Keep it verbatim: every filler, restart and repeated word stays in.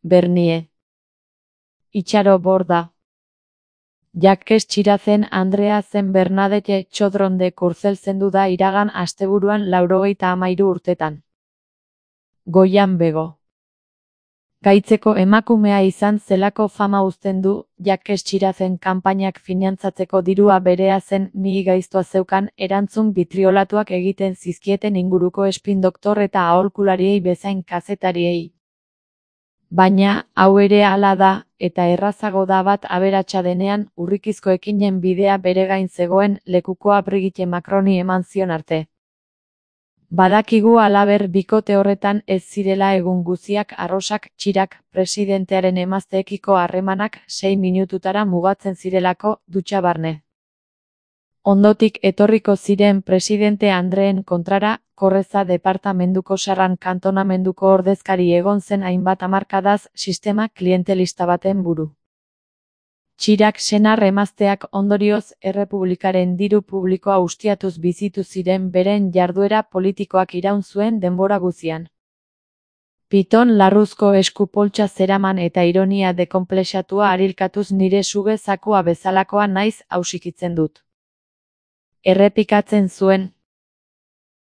Bernie. Itxaro Borda. Jakes Txirazen Andrea zen Bernadette Txodron de Kurzel zendu da iragan asteburuan laurogeita hamairu urtetan. Goian bego. Gaitzeko emakumea izan zelako fama uzten du, Jakes Txirazen kanpainak finantzatzeko dirua berea zen mihi gaiztoa zeukan erantzun bitriolatuak egiten zizkieten inguruko espin-doktor eta aholkulariei bezain kazetariei. Baina, hau ere hala da, eta errazago da bat aberatsa denean, urrikizko ekinen bidea bere gain zegoen lekukoa Brigitte Macroni eman zion arte. Badakigu halaber bikote horretan ez zirela egun guziak arrosak Txirak presidentearen emazteekiko harremanak sei minututara mugatzen zirelako dutxa barne. Ondotik etorriko ziren presidente Andreen kontrara, Korreza departamenduko Sarran kantonamenduko ordezkari egon zen hainbat hamarkadaz sistema klientelista baten buru. Txirak senar emazteak ondorioz errepublikaren diru publikoa ustiatuz bizitu ziren beren jarduera politikoak iraun zuen denbora guzian. Piton larruzko esku poltsa zeraman eta ironia dekonplexatua arilkatuz nire suge zakua bezalakoa naiz hausikitzen dut. Errepikatzen zuen,